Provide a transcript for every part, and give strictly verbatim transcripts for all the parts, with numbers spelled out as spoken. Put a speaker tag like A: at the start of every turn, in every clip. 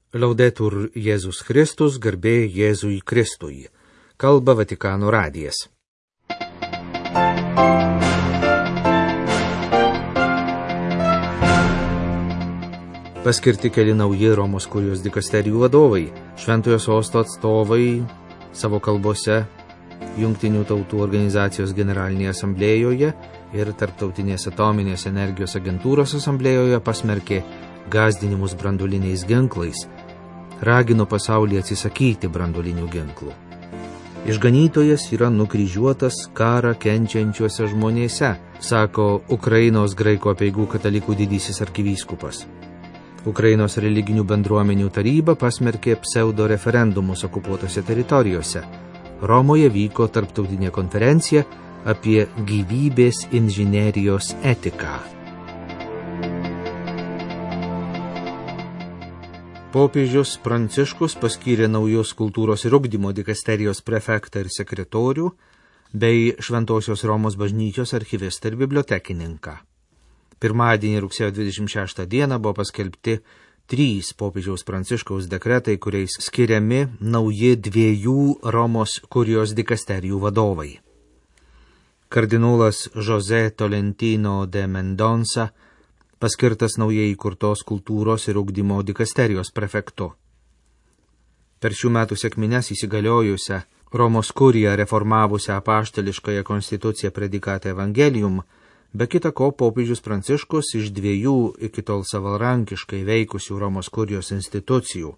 A: Laudetur Jėzus Kristus, garbė Jėzui Kristui. Kalba Vatikano radijas. Paskirti keli nauji Romos kurijos dikasterijų vadovai, Šventojo sosto atstovai savo kalbose Jungtinių tautų organizacijos generalinėje asamblėjoje ir Tarptautinės atominės energijos agentūros asamblėjoje pasmerkė gąsdinimus branduoliniais ginklais, ragino pasaulį atsisakyti branduolinių ginklų. Išganytojas yra nukryžiuotas karą kenčiančiuose žmonėse, sako Ukrainos graikų apeigų katalikų didysis arkivyskupas. Ukrainos religinių bendruomenių taryba pasmerkė pseudo referendumus okupuotose teritorijose. Romoje vyko tarptautinė konferencija apie gyvybės inžinerijos etiką. Popiežius Pranciškus paskyrė naujus kultūros ir ugdymo dikasterijos prefektą ir sekretorių, bei Šventosios Romos bažnyčios archivistą ir bibliotekininką. Pirmadienį rugsėjo dvidešimt šeštą dieną buvo paskelbti trys popiežiaus Pranciškaus dekretai, kuriais skiriami nauji dviejų Romos kurijos dikasterijų vadovai. Kardinolas José Tolentino de Mendonça paskirtas naujai įkurtos kultūros ir ugdymo dikasterijos prefektu. Per šių metų sekmines įsigaliojusią Romos kuriją reformavusią apaštališkąją konstituciją Predikate Evangelium, be kita ko popiežius Pranciškus iš dviejų iki tol savarankiškai veikusių Romos kurijos institucijų,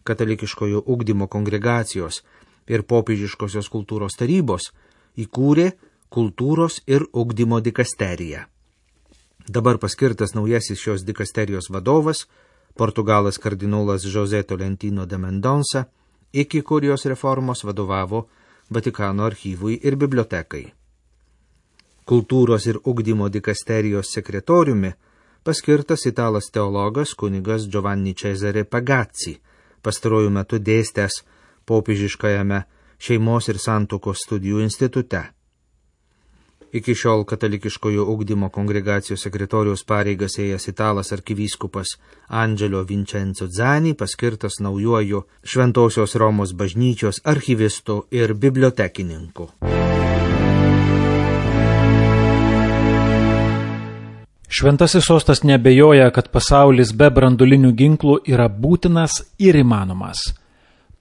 A: katalikiškojo ugdymo kongregacijos ir popiežiškosios kultūros tarybos, įkūrė kultūros ir ugdymo dikasteriją. Dabar paskirtas naujasis šios dikasterijos vadovas, portugalas kardinolas José Tolentino de Mendonça, iki kurijos reformos vadovavo Vatikano archyvui ir bibliotekai. Kultūros ir ugdymo dikasterijos sekretoriumi paskirtas italas teologas kunigas Giovanni Cesare Pagazzi, pastaruoju metu dėstęs popiežiškajame šeimos ir santuokos studijų institute. Iki šiol katalikiškojo ugdymo kongregacijos sekretoriaus pareigas ėjęs italas arkivyskupas Angelo Vincenzo Zani paskirtas naujuoju Šventosios Romos bažnyčios archivistu ir bibliotekininku.
B: Šventasis sostas neabejoja, kad pasaulis be branduolinių ginklų yra būtinas ir įmanomas.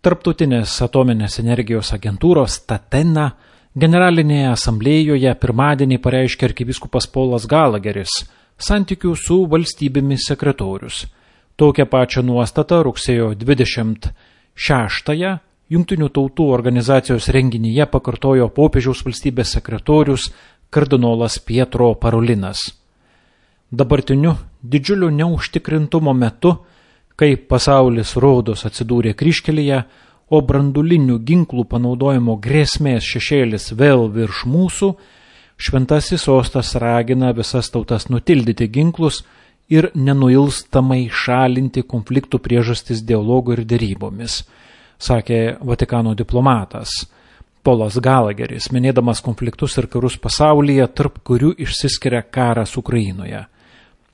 B: Tarptautinės atominės energijos agentūros Tatena Generalinėje asamblėjoje pirmadienį pareiškė arkivyskupas Polas Galageris, santykių su valstybėmis sekretorius. Tokią pačią nuostatą rugsėjo dvidešimt šeštąją Jungtinių tautų organizacijos renginyje pakartojo popiežiaus valstybės sekretorius kardinolas Pietro Parolinas. Dabartiniu didžiuliu neužtikrintumo metu, kai pasaulis rodos atsidūrė kryžkelėje, o branduolinių ginklų panaudojimo grėsmės šešėlis vėl virš mūsų, šventasis sostas ragina visas tautas nutildyti ginklus ir nenuilstamai šalinti konfliktų priežastis dialogu ir derybomis, sakė Vatikano diplomatas Polas Galageris, minėdamas konfliktus ir karus pasaulyje, tarp kurių išsiskiria karas Ukrainoje.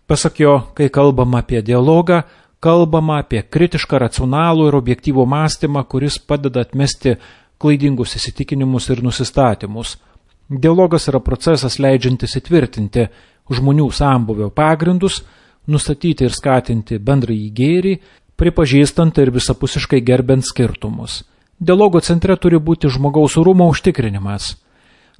B: Pasak jo, kai kalbama apie dialogą, kalbama apie kritišką, racionalų ir objektyvų mąstymą, kuris padeda atmesti klaidingus įsitikinimus ir nusistatymus. Dialogas yra procesas leidžiantis įtvirtinti žmonių sambūvio pagrindus, nustatyti ir skatinti bendrąjį gėrį, pripažįstant ir visapusiškai gerbent skirtumus. Dialogo centre turi būti žmogaus orumo užtikrinimas.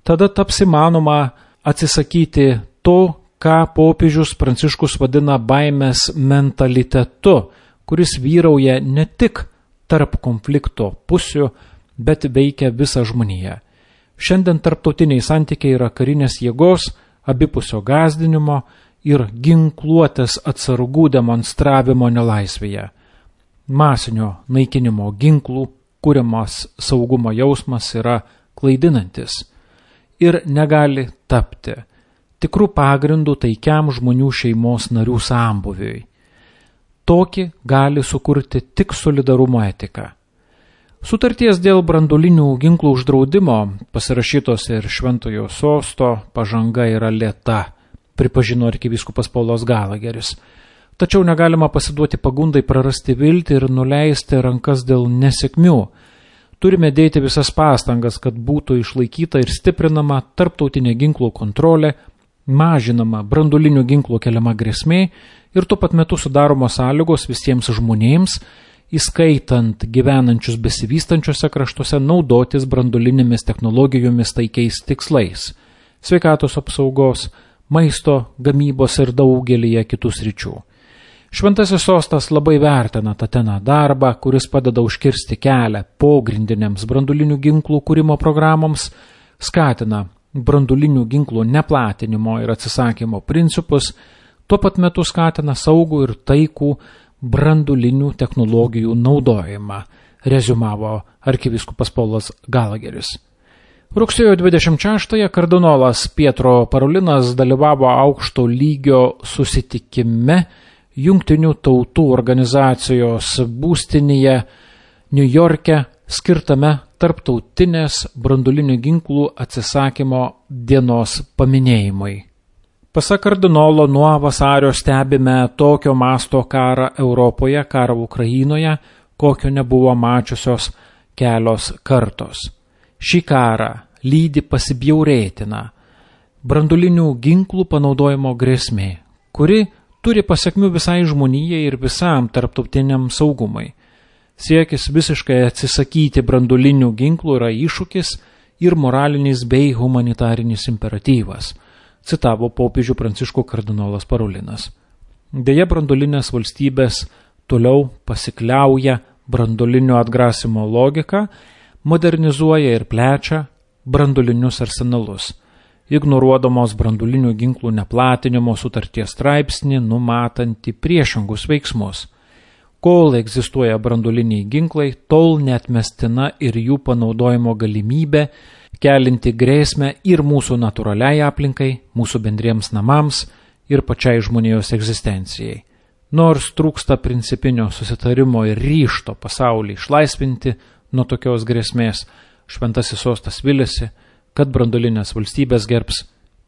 B: Tada taps įmanoma atsisakyti to, ką popiežius Pranciškus vadina baimės mentalitetu, kuris vyrauja ne tik tarp konflikto pusių, bet veikia visą žmoniją. Šiandien tarptautiniai santykiai yra karinės jėgos, abipusio gąsdinimo ir ginkluotės atsargų demonstravimo nelaisvėje. Masinio naikinimo ginklų kuriamas saugumo jausmas yra klaidinantis ir negali tapti tikrų pagrindų taikiam žmonių šeimos narių sambūviui. Tokį gali sukurti tik solidarumo etika. Sutarties dėl branduolinių ginklų uždraudimo, pasirašytos ir Šventojo sosto, pažanga yra lėta, pripažino arkivyskupas Polas Galageris. Tačiau negalima pasiduoti pagundai prarasti viltį ir nuleisti rankas dėl nesėkmių. Turime dėti visas pastangas, kad būtų išlaikyta ir stiprinama tarptautinė ginklų kontrolė, mažinama branduolinių ginklų keliama grėsmė ir tuo pat metu sudaromos sąlygos visiems žmonėms, įskaitant gyvenančius besivystančiuose kraštuose, naudotis branduolinėmis technologijomis taikiais tikslais – sveikatos apsaugos, maisto, gamybos ir daugelyje kitų sričių. Šventasis sostas labai vertina Tateną darbą, kuris padeda užkirsti kelią pogrindinėms branduolinių ginklų kūrimo programoms, skatina branduolinių ginklų neplatinimo ir atsisakymo principus, tuo pat metu skatina saugų ir taikų branduolinių technologijų naudojimą, reziumavo arkivyskupas Paulas Galageris. Rugsėjo dvidešimt šeštąją kardinolas Pietro Parolinas dalyvavo aukšto lygio susitikime Jungtinių tautų organizacijos būstinėje Niujorke skirtame tarptautinės branduolinių ginklų atsisakymo dienos paminėjimui. Pasak kardinolo, nuo vasario stebime tokio masto karą Europoje, karą Ukrainoje, kokio nebuvo mačiusios kelios kartos. Šį karą lydi pasibjaurėtina branduolinių ginklų panaudojimo grėsmė, kuri turi pasiekmių visai žmonijai ir visam tarptautiniam saugumui. Siekis visiškai atsisakyti branduolinių ginklų yra iššūkis ir moralinis bei humanitarinis imperatyvas, citavo popiežių Pranciškų kardinolas Parolinas. Deja, branduolinės valstybės toliau pasikliauja branduolinio atgrasimo logiką, modernizuoja ir plečia branduolinius arsenalus, ignoruodamos branduolinių ginklų neplatinimo sutarties straipsnį numatantį priešingus veiksmus. Kol egzistuoja branduoliniai ginklai, tol neatmestina ir jų panaudojimo galimybė, kelinti grėsmę ir mūsų natūraliai aplinkai, mūsų bendriems namams ir pačiai žmonijos egzistencijai. Nors trūksta principinio susitarimo ir ryžto pasaulį išlaisvinti nuo tokios grėsmės, Šventasis sostas viliasi, kad branduolinės valstybės gerbs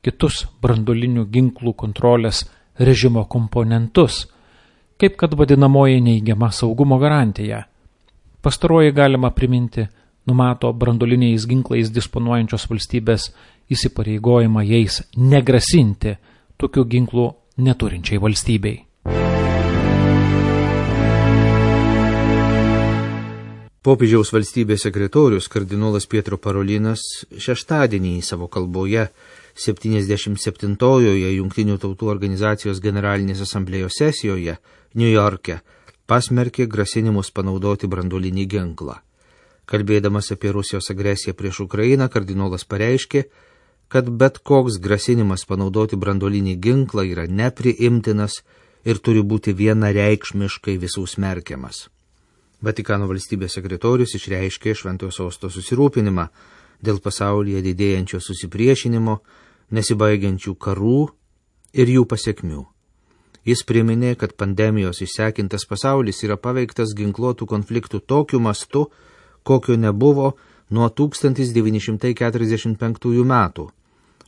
B: kitus branduolinių ginklų kontrolės režimo komponentus, kaip kad vadinamoji neigiama saugumo garantija. Pastaroji galima priminti, numato branduoliniais ginklais disponuojančios valstybės įsipareigojimą jais negrasinti tokių ginklų neturinčiai valstybei.
A: Popiežiaus valstybės sekretorius kardinolas Pietro Parolinas šeštadienį savo kalboje septyniasdešimt septintojoje Jungtinių tautų organizacijos generalinės asamblėjos sesijoje Niujorke pasmerkė grasinimus panaudoti branduolinį ginklą. Kalbėdamas apie Rusijos agresiją prieš Ukrainą, kardinolas pareiškė, kad bet koks grasinimas panaudoti branduolinį ginklą yra nepriimtinas ir turi būti vienareikšmiškai visų smerkiamas. Vatikano valstybės sekretorius išreiškė Šventojo sosto susirūpinimą dėl pasaulyje didėjančio susipriešinimo, nesibaigiančių karų ir jų pasiekmių. Jis priminė, kad pandemijos išsekintas pasaulis yra paveiktas ginkluotų konfliktų tokiu mastu, kokio nebuvo nuo tūkstantis devyni šimtai keturiasdešimt penktųjų metų,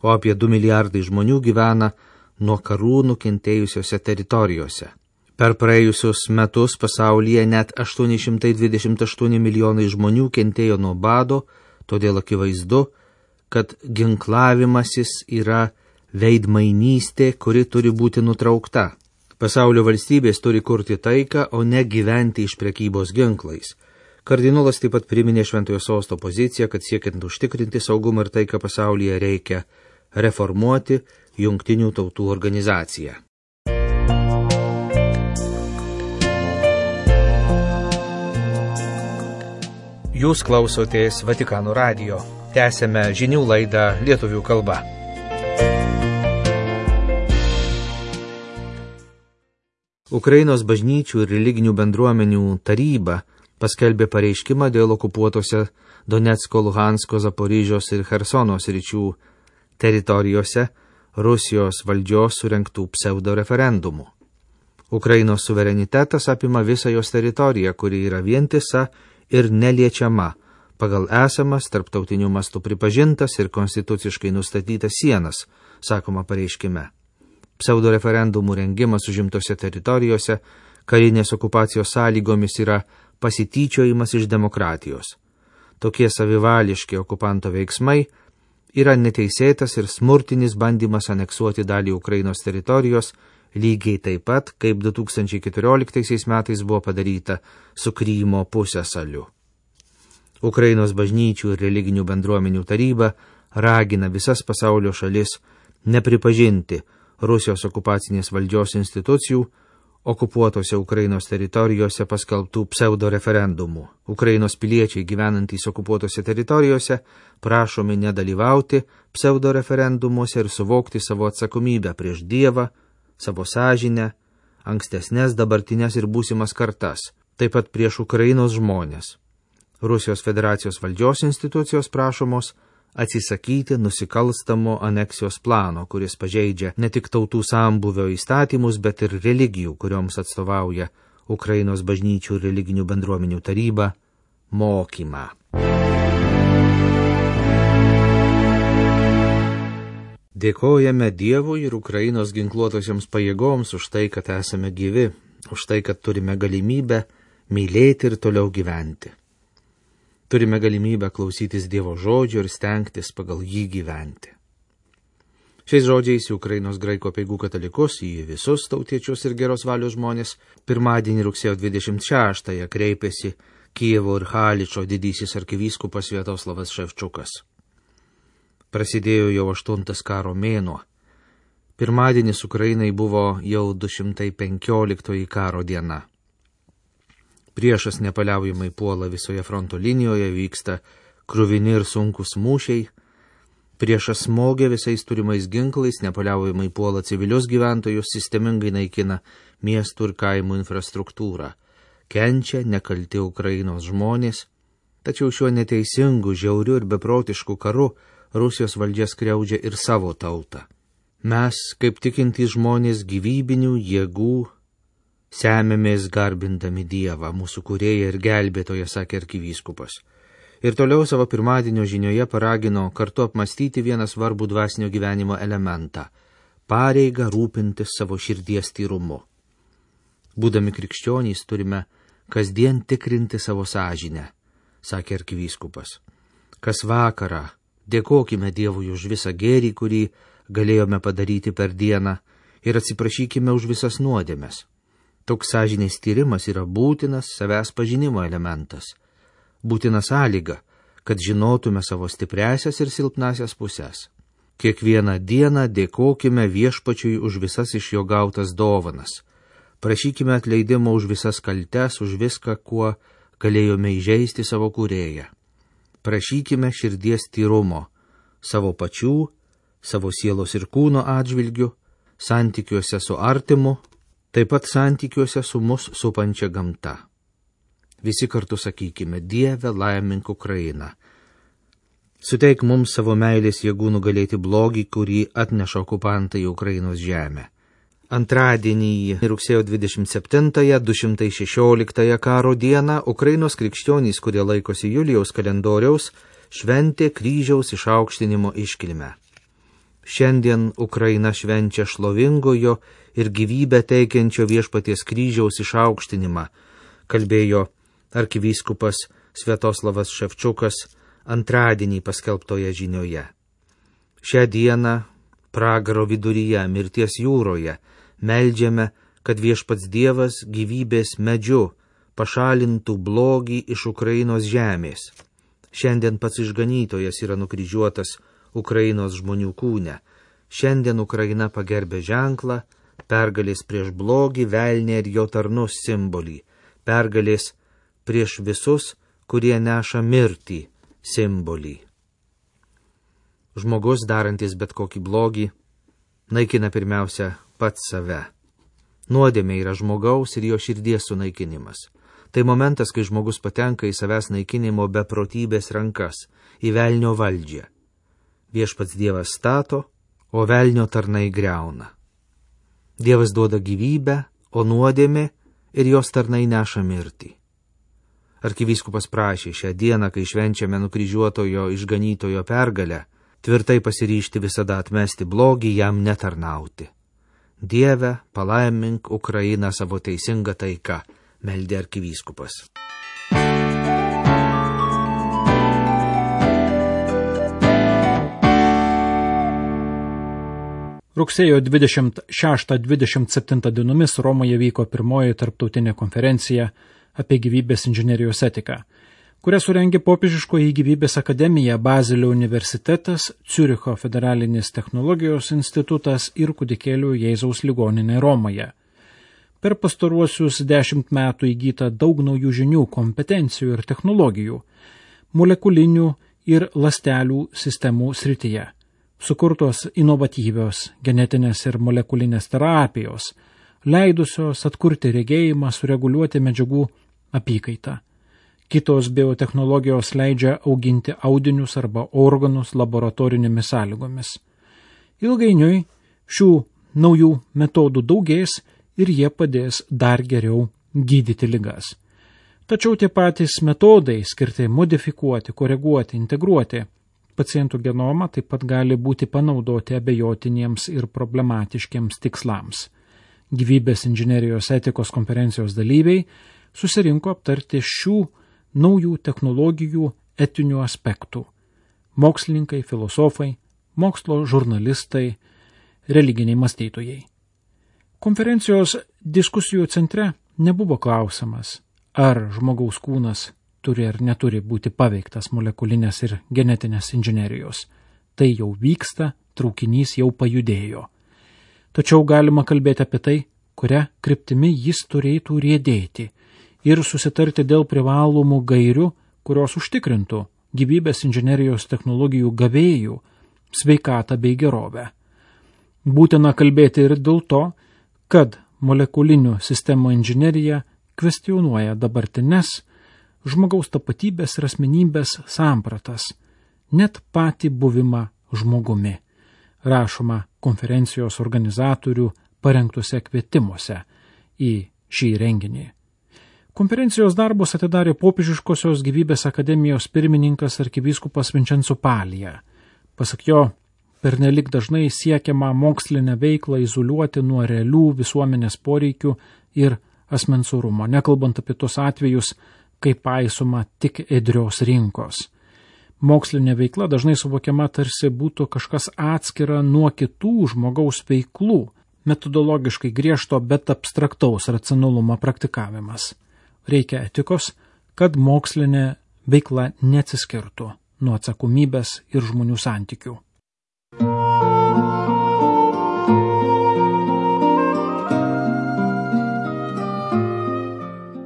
A: o apie du milijardai žmonių gyvena nuo karų nukentėjusiose teritorijose. Per praėjusius metus pasaulyje net aštuoni šimtai dvidešimt aštuoni milijonai žmonių kentėjo nuo bado, todėl akivaizdu, kad ginklavimasis yra veidmainystė, kuri turi būti nutraukta. Pasaulio valstybės turi kurti taiką, o ne gyventi iš prekybos ginklais. Kardinolas taip pat priminė Šventojo sosto poziciją, kad siekiant užtikrinti saugumą ir taiką pasaulyje reikia reformuoti Jungtinių tautų organizaciją. Jūs klausotės Vatikano radijo. Tęsėme žinių laidą lietuvių kalba. Ukrainos bažnyčių ir religinių bendruomenių taryba paskelbė pareiškimą dėl okupuotose Donecko, Luhansko, Zaporižios ir Chersono sričių teritorijose Rusijos valdžios surengtų pseudoreferendumų. Ukrainos suverenitetas apima visą jos teritoriją, kuri yra vientisa ir neliečiama pagal esamas tarptautiniu mastu pripažintas ir konstituciškai nustatytas sienas, sakoma pareiškime. Pseudoreferendumų rengimas užimtose teritorijose karinės okupacijos sąlygomis yra pasityčiojimas iš demokratijos. Tokie savivališki okupanto veiksmai yra neteisėtas ir smurtinis bandymas aneksuoti dalį Ukrainos teritorijos, lygiai taip pat, kaip du tūkstančiai keturioliktaisiais metais buvo padaryta su Krymo pusiasaliu. Ukrainos bažnyčių ir religinių bendruomenių taryba ragina visas pasaulio šalis nepripažinti Rusijos okupacinės valdžios institucijų okupuotose Ukrainos teritorijose paskelbtų pseudoreferendumų. Ukrainos piliečiai gyvenantys okupuotose teritorijose prašomi nedalyvauti pseudoreferendumuose ir suvokti savo atsakomybę prieš Dievą, savo sąžinę, ankstesnės, dabartinės ir būsimas kartas, taip pat prieš Ukrainos žmonės. Rusijos federacijos valdžios institucijos prašomos atsisakyti nusikalstamo aneksijos plano, kuris pažeidžia ne tik tautų sambūvio įstatymus, bet ir religijų, kurioms atstovauja Ukrainos bažnyčių ir religinių bendruomenių taryba, mokymą. Dėkojame Dievui ir Ukrainos ginkluotosioms pajėgoms už tai, kad esame gyvi, už tai, kad turime galimybę mylėti ir toliau gyventi. Turime galimybę klausytis Dievo žodžio ir stengtis pagal jį gyventi. Šiais žodžiais į Ukrainos graikų apeigų katalikus, į visus tautiečius ir geros valios žmonės, pirmadienį rugsėjo dvidešimt šeštąją kreipėsi Kijevo ir Haličo didysis arkivyskupas Sviatoslavas Ševčiukas. Prasidėjo jau aštuntas karo mėnuo. Pirmadienis Ukrainai buvo jau du šimtai penkioliktoji karo diena. Priešas nepaliaujamai puola visoje fronto linijoje, vyksta kruvini ir sunkus mūšiai. Priešas smogia visais turimais ginklais, nepaliaujamai puola civilius gyventojus, sistemingai naikina miestų ir kaimų infrastruktūrą. Kenčia nekalti Ukrainos žmonės, tačiau šiuo neteisingu, žiauriu ir beprotišku karu Rusijos valdžia skriaudžia ir savo tautą. Mes, kaip tikintys žmonės, gyvybinių jėgų semėmės garbindami Dievą, mūsų kūrėją ir gelbėtoją, sakė arkivyskupas. Ir toliau savo pirmadienio žinioje paragino kartu apmastyti vieną svarbų dvasinio gyvenimo elementą – pareigą rūpintis savo širdies tyrumu. Būdami krikščionys turime kasdien tikrinti savo sąžinę, sakė arkivyskupas. Kas vakarą dėkokime Dievui už visą gėrį, kurį galėjome padaryti per dieną, ir atsiprašykime už visas nuodėmes. Toks sąžinės tyrimas yra būtinas savęs pažinimo elementas, būtina sąlyga, kad žinotume savo stipriasias ir silpnasias pusės. Kiekvieną dieną dėkokime Viešpačiui už visas iš jo gautas dovanas. Prašykime atleidimo už visas kaltes, už viską, kuo galėjome įžeisti savo kūrėją. Prašykime širdies tyrumo savo pačių, savo sielos ir kūno atžvilgių, santykiuose su artimu, taip pat santykiuose su mus supančia gamta. Visi kartu sakykime: Dieve, laimink Ukrainą. Suteik mums savo meilės jėgų nugalėti blogį, kurį atneša okupantai į Ukrainos žemę. Antradienį, rugsėjo dvidešimt septintąją, du šimtai šešioliktąją karo dieną, Ukrainos krikščionys, kurie laikosi Julijaus kalendoriaus, šventė kryžiaus išaukštinimo iškilmę. Šiandien Ukraina švenčia šlovingojo ir gyvybę teikiančio Viešpaties kryžiaus išaukštinimą, kalbėjo arkivyskupas Sviatoslavas Ševčiukas antradienį paskelbtoje žinioje. Šią dieną pragaro viduryje, mirties jūroje, meldžiame, kad Viešpats Dievas gyvybės medžiu pašalintų blogį iš Ukrainos žemės. Šiandien pats išganytojas yra nukryžiuotas Ukrainos žmonių kūne. Šiandien Ukraina pagerbė ženklą, pergalės prieš blogį, velnį ir jo tarnus simbolį, pergalės prieš visus, kurie neša mirtį simbolį. Žmogus, darantis bet kokį blogį, naikina pirmiausia pats save. Nuodėmė yra žmogaus ir jo širdies sunaikinimas. Tai momentas, kai žmogus patenka į savęs naikinimo beprotybės rankas, į velnio valdžią. Viešpats Dievas stato, o velnio tarnai griauna. Dievas duoda gyvybę, o nuodėmė ir jos tarnai neša mirtį. Arkivyskupas prašė šią dieną, kai švenčiame nukryžiuotojo išganytojo pergalę, tvirtai pasiryžti visada atmesti blogį, jam netarnauti. Dieve, palaimink Ukrainą savo teisingą taiką, meldė arkivyskupas.
B: Rugsėjo dvidešimt šeštą dvidešimt septintą dienomis Romoje vyko pirmoji tarptautinė konferencija apie gyvybės inžinerijos etiką, kurią surengė Popiežiškoji gyvybės akademija, Bazelio universitetas, Ciuricho federalinis technologijos institutas ir Kūdikėlio Jėzaus ligoninė Romoje. Per pastaruosius dešimt metų įgyta daug naujų žinių, kompetencijų ir technologijų, molekulinių ir ląstelių sistemų srityje. Sukurtos inovatyvios genetinės ir molekulinės terapijos, leidusios atkurti regėjimą, sureguliuoti medžiagų apykaitą. Kitos biotechnologijos leidžia auginti audinius arba organus laboratorinėmis sąlygomis. Ilgainiui šių naujų metodų daugės ir jie padės dar geriau gydyti ligas. Tačiau tie patys metodai skirti modifikuoti, koreguoti, integruoti pacientų genomą taip pat gali būti panaudoti abejotiniems ir problematiškiams tikslams. Gyvybės inžinerijos etikos konferencijos dalyviai susirinko aptarti šių naujų technologijų etinių aspektų. Mokslininkai, filosofai, mokslo žurnalistai, religiniai mąstytojai. Konferencijos diskusijų centre nebuvo klausimas, ar žmogaus kūnas turi ar neturi būti paveiktas molekulinės ir genetinės inžinerijos. Tai jau vyksta, traukinys jau pajudėjo. Tačiau galima kalbėti apie tai, kuria kryptimi jis turėtų riedėti ir susitarti dėl privalomų gairių, kurios užtikrintų gyvybės inžinerijos technologijų gavėjų sveikatą bei gerovę. Būtina kalbėti ir dėl to, kad molekulinių sistemų inžinerija kvestionuoja dabartines žmogaus tapatybės ir asmenybės sampratas, net patį buvimą žmogumi, rašoma konferencijos organizatorių parengtuose kvietimuose į šį renginį. Konferencijos darbus atidarė Popiežiškosios gyvybės akademijos pirmininkas arkivyskupas Vincenzo Palija. Pasak jo, pernelik dažnai siekiama mokslinę veiklą izoliuoti nuo realių visuomenės poreikių ir asmens orumo, nekalbant apie tos atvejus, kai paisoma tik ėdrios rinkos. Mokslinė veikla dažnai suvokiama tarsi būtų kažkas atskira nuo kitų žmogaus veiklų, metodologiškai griežto, bet abstraktaus racionalumo praktikavimas. Reikia etikos, kad mokslinė veikla neatsiskirtų nuo atsakomybės ir žmonių santykių.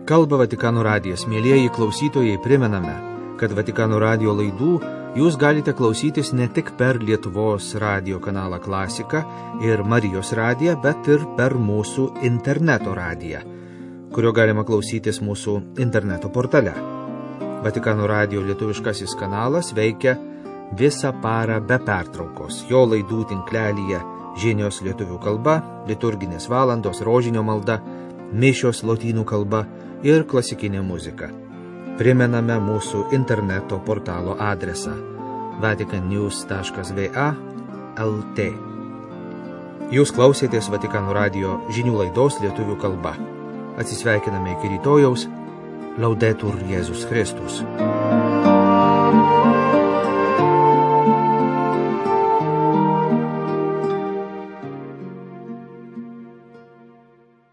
A: Kalba Vatikano radijas. Mielieji klausytojai, primename, kad Vatikano radijo laidų jūs galite klausytis ne tik per Lietuvos radijo kanalą Klasika ir Marijos radiją, bet ir per mūsų interneto radiją, kurio galima klausytis mūsų interneto portale. Vatikano radijo lietuviškasis kanalas veikia visą parą be pertraukos. Jo laidų tinklelyje žinios lietuvių kalba, liturginės valandos, rožinio malda, mišios lotynų kalba ir klasikinė muzika. Primename mūsų interneto portalo adresą vatican news taškas v a taškas l t. Jūs klausėtės Vatikano radijo žinių laidos lietuvių kalba. Atsisveikiname iki rytojaus. Laudetur Jėzus Kristus.